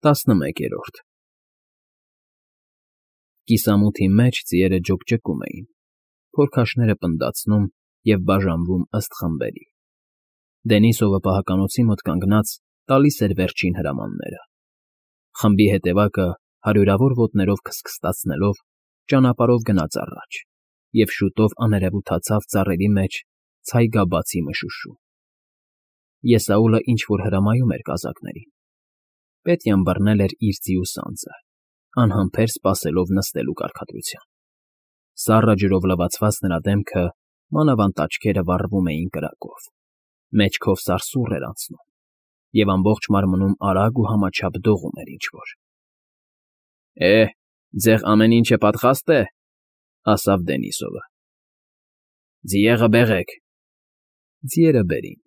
11 Կիսամութի մեջ ձիերը ջոկջկում էին, փորքաշները պնդացնում և բաժանվում ըստ խմբերի։ Դենիսովը պահականոցի մոտ կանգնած տալիս էր վերջին հրամանները։ Խմբի հետևակը հարյուրավոր ոտներով քստքստացնելով ճանապարհով գնաց առաջ և շուտով աներևութացավ ծառերի մեջ ցայգաբացի մշուշում։ Եսաուլը ինչ֊որ հրամայում էր կազակներին։ Պետյան բռնել էր իր ձիու սանձը, անհամբեր սպասելով նստելու կարգադրության։ Սառը ջրով լվացված նրա դեմքը, մանավանդ աչքերը վառվում էին կրակով, մեջքով սարսուռ էր անցնում, և ամբողջ մարմնում արագ ու համաչափ դողում էր ինչ֊որ։ Ձեզ ամեն ինչը պատրաստ է,֊ ասավ Դենիսովը։ Ձիերը բերեք։ Ձիերը բերին։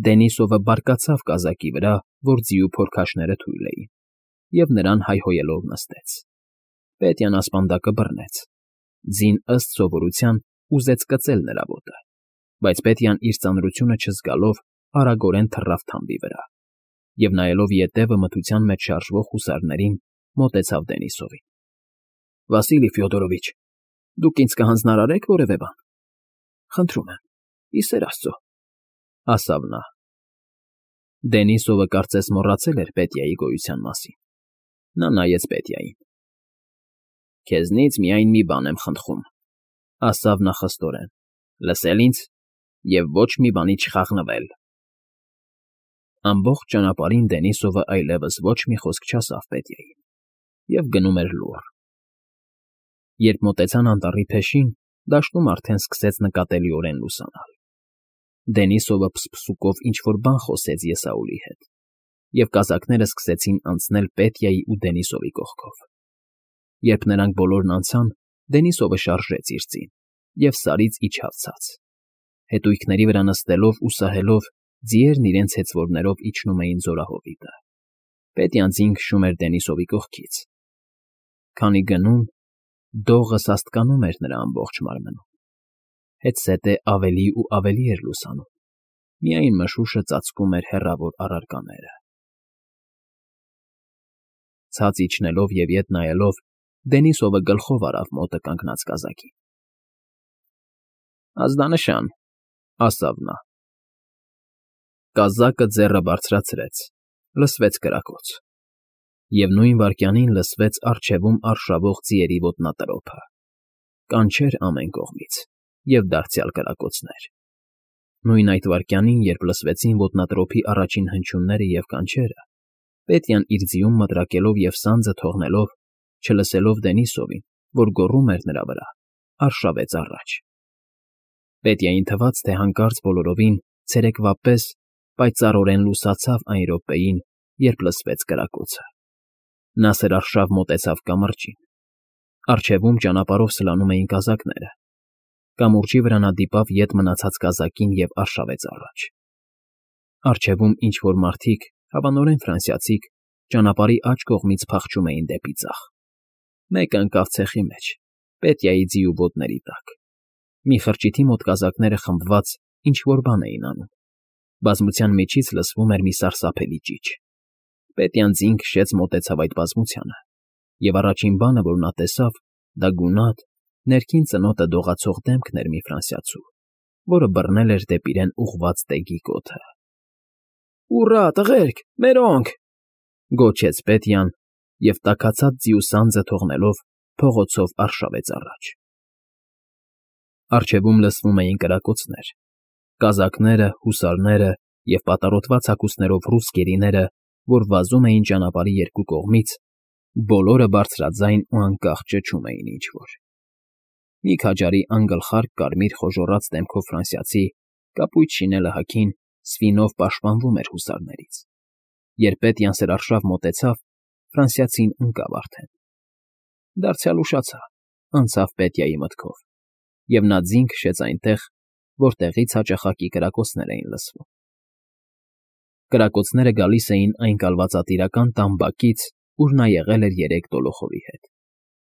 Դենիսովը բարկացավ կազակի վրա, որ ձիու փորքաշները թույլ էին, և նրան հայհոյելով նստեց։ Պետյան ասպանդակը բռնեց։ Ձին ըստ սովորության ուզեց կծել նրա ոտը, բայց Պետյան իր ծանրությունը չզգալով արագորեն թռավ թամբի վրա և, նայելով ետևը մթության մեջ շարժվող հուսարներին, մոտեցավ Դենիսովին։ Վասիլի Ֆյոդորովիչ, դուք ինձ կհանձնարարե՞ք որևէ բան։ Խնդրում եմ, ի սեր Աստծո, ասավ նա։ Դենիսովը կարծես մոռացել էր Պետյայի գոյության մասին։ Նա նայեց Պետյային։ Քեզնից միայն մի բան եմ խնդրում,֊ ասավ նա խստորեն,֊ լսել ինձ և ոչ մի բանի չխաղնվել։ Ամբողջ ճանապարհին Դենիսովը այլևս ոչ մի խոսք չասավ Պետյային և գնում էր լուռ։ Երբ մոտեցան անտառի փեշին, դաշտում արդեն սկսեց նկատելիորեն լուսանալ։ Դենիսովը փսփսուկով ինչ֊որ բան խոսեց Եսաուլի հետ, և կազակները սկսեցին անցնել Պետյայի ու Դենիսովի կողքով։ Երբ նրանք բոլորն անցան, Դենիսովը շարժեց իր ձին և Սարից իջավ ցած։ Հետույքների վրա նստելով ու սահելով, ձիերն իրենց հեծվորներով իջնում էին զորահովիտը։ Պետյան ձին քշում էր Դենիսովի կողքից։ Քանի գնում, դողը սաստկանում էր նրա ամբողջ մարմնում։ Հետզհետե ավելի ու ավելի էր լուսանում, միայն մշուշը ծածկում էր հեռավոր առարկաները։ Ցած իջնելով և ետ նայելով, Դենիսովը գլխով արավ մոտը կանգնած կազակին։ Ազդանշան,֊ ասավ նա։ Կազակը ձեռը բարձրացրեց, լսվեց կրակոց։ Եվ նույն վայրկյանին լսվեց առջևում արշավող ձիերի ոտնատրոփը, կանչեր ամեն կողմից և դարձյալ կրակոցներ։ Նույն այդ վայրկյանին, երբ լսվեցին ոտնատրոփի առաջին հնչյունները և կանչերը, Պետյան իր ձիուն մտրակելով և սանձը թողնելով, չլսելով Դենիսովին, որ գոռում էր նրա վրա, արշավեց առաջ։ Պետյային թվաց, թե հանկարծ բոլորովին ցերեկվա պես պայծառորեն լուսացավ այն րոպեին, երբ լսվեց կրակոցը։ Նա սրարշավ մոտեցավ կամրջին։ Առջևում ճանապարհով սլանում էին կազակները։ Կամուրջի վրա նա դիպավ ետ մնացած կազակին և արշավեց առաջ։ Առջևում ինչ֊որ մարդիկ, հավանորեն ֆրանսիացիք, ճանապարհի աջ կողմից փախչում էին դեպի ձախ։ Մեկը ընկավ ցեխի մեջ, Պետյայի ձիու ոտների տակ։ Մի խրճիթի մոտ կազակները խմբված ինչ֊որ բան էին անում։ Բազմության միջից լսվում էր մի սարսափելի ճիչ։ Պետյան ձին քշեց մոտեցավ այդ բազմությանը, և առաջին բանը, որ նա տեսավ, դա գունատ, ներքին ծնոտը դողացող դեմքն էր մի ֆրանսիացու, որը բռնել էր դեպի իրեն ուղղված տեգի կոթը։ Ուռա, տղերք, մերոնք,֊ գոչեց Պետյան և տաքացած ձիու սանձը թողնելով, փողոցով արշավեց առաջ։ Առջևում լսվում էին կրակոցներ։ Կազակները, հուսարները և պատառոտված հագուստներով ռուս գերիները, որ վազում էին ճանապարհի երկու կողմից, բոլորը բարձրաձայն ու անկախ ճչում էին ինչ֊որ։ Մի քաջարի անգլխարկ կարմիր խոժոռաց դեմքով ֆրանսիացի, կապույտ շինելը հագին, սվինով պաշտպանվում էր հուսարներից։ Երբ Պետյան սրարշավ մոտեցավ, ֆրանսիացին ընկավ արդեն։ Դարձյալ ուշացա, անցավ Պետյայի մտքով, և նա ձին քշեց այնտեղ, որտեղից հաճախակի կրակոցներ էին լսվում։ Կրակոցները գալիս էին այն կալվածատիրական տան բակից, ուր նա եղել էր երեկ Դոլոխովի հետ։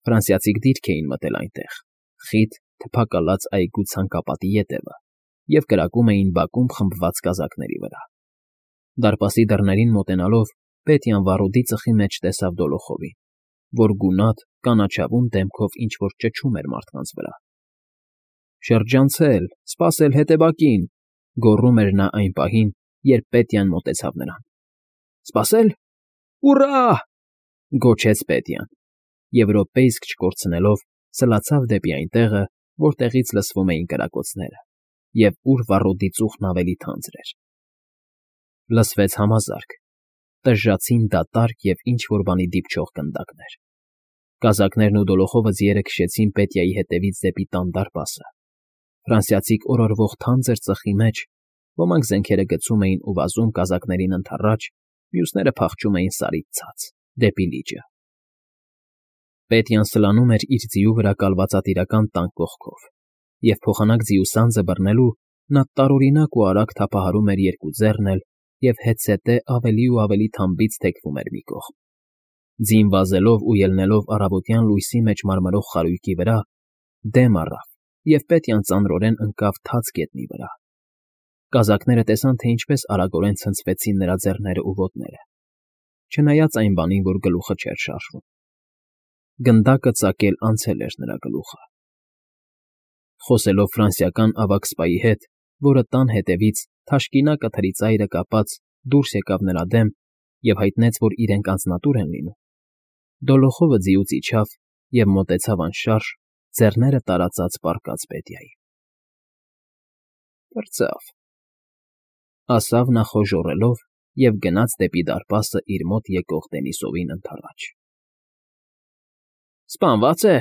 Ֆրանսիացիք դիրք էին մտել այնտեղ, խիտ, թփակալած այգու ցանկապատի ետևը, և կրակում էին բակում խմբված կազակների վրա։ Դարպասի դռներին մոտենալով, Պետյան վառոդի ծխի մեջ տեսավ Դոլոխովին, որ գունատ, կանաչավուն դեմքով ինչ֊որ ճչում էր մարդկանց վրա։ «Շրջանցել, սպասել հետևակին», գոռում էր նա այն պահին, երբ Պետյան մոտեցավ նրան։ «Սպասել։ Ուռա!» գոչեց Պետյան, և րոպե իսկ չկորցնելով սլացավ դեպի այն տեղը, որտեղից լսվում էին կրակոցները, և ուր վառոդի ծուխն ավելի թանձր էր։ Լսվեց համազարկ, տժժացին դատարկ և ինչ֊որ բանի դիպչող գնդակներ։ Կազակներն ու Դոլոխովը ձիերը քշեցին Պետյայի հետևից դեպի տան դարպասը։ Ֆրանսիացիք օրորվող թանձր ծխի մեջ ոմանք զենքերը գցում էին ու վազում կազակներին ընդառաջ, մյուսները փախչում էին Սարից ցած, դեպի լիճը։ Պետյան սլանում էր իր ձիու վրա կալվածատիրական տան կողքով, և փոխանակ ձիու սանձը բռնելու նա տարօրինակ ու արագ թափահարում էր երկու ձեռն էլ և հետզհետե ավելի ու ավելի թամբից թեքվում էր մի կողմ։ Ձին վազելով ու ելնելով առավոտյան լույսի մեջ մարմրող խարույկի վրա, դեմ առավ և Պետյան ծանրորեն ընկավ թաց գետնի վրա։ Կազակները տեսան, թե ինչպես արագորեն ցնցվեցին նրա ձեռներն ու ոտները, չնայած այն բանին, որ գլուխը չէր շարժվում։ Գնդակը ծակել անցել էր նրա գլուխը։ Խոսելով ֆրանսիական ավագ սպայի հետ, որը տան հետևից, թաշկինակը թրի ծայրը կապած, դուրս եկավ նրա դեմ և հայտնեց, որ իրենք անձնատուր են լինում, Դոլոխովը ձիուց իջավ և մոտեցավ անշարժ, ձեռները տարածած պառկած Պետյային։ «Պրծավ», ասավ նա խոժոռելով և գնաց դեպի դարպասը իր մոտ եկող Դենիսովին ընդառաջ։ «Սպանվա՞ծ է,֊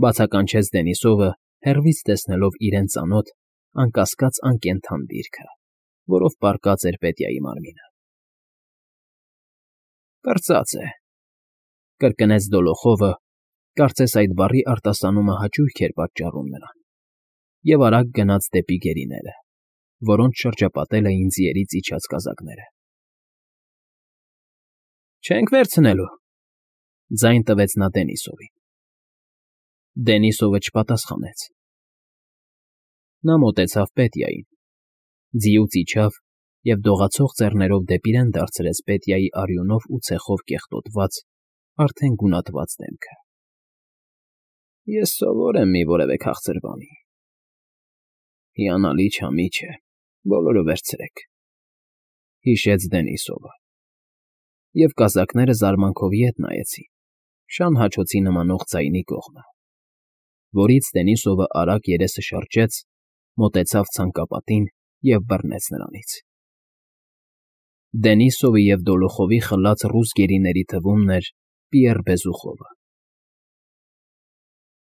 բացականչեց Դենիսովը, հեռվից տեսնելով իրեն ծանոթ, անկասկած անկենդան դիրքը, որով պառկած էր Պետյայի մարմինը։ Պրծած է,֊ կրկնեց Դոլոխովը, կարծես այդ բառի արտասանումը հաճույք էր պատճառում նրան, և արագ գնաց դեպի գերիները, որոնց շրջապատել էին ձիերից իջած կազակները։ «Չենք վերցնելու,֊ ձայն տվեց նա Դենիսովին։ Դենիսովը չպատասխանեց։ Նա մոտեցավ Պետյային, ձիուց իջավ և դողացող ձեռներով դեպի իրեն դարձրեց Պետյայի արյունով ու ցեխով կեղտոտված, արդեն գունատված դեմքը։ «Ես սովոր եմ մի որևէ քաղցր բանի,֊ հիանալի չամիչ է, բոլորը վերցրեք,֊ հիշեց Դենիսովը։ Եվ կազակները զարմանքով ետ նայեցին շան հաչոցի նմանող ձայնի կողմը, որից Դենիսովը արագ երեսը շրջեց, մոտեցավ ցանկապատին և բռնեց նրանից։ Դենիսովի և Դոլոխովի խլած ռուս գերիների թվումն էր Պիեռ Բեզուխովը։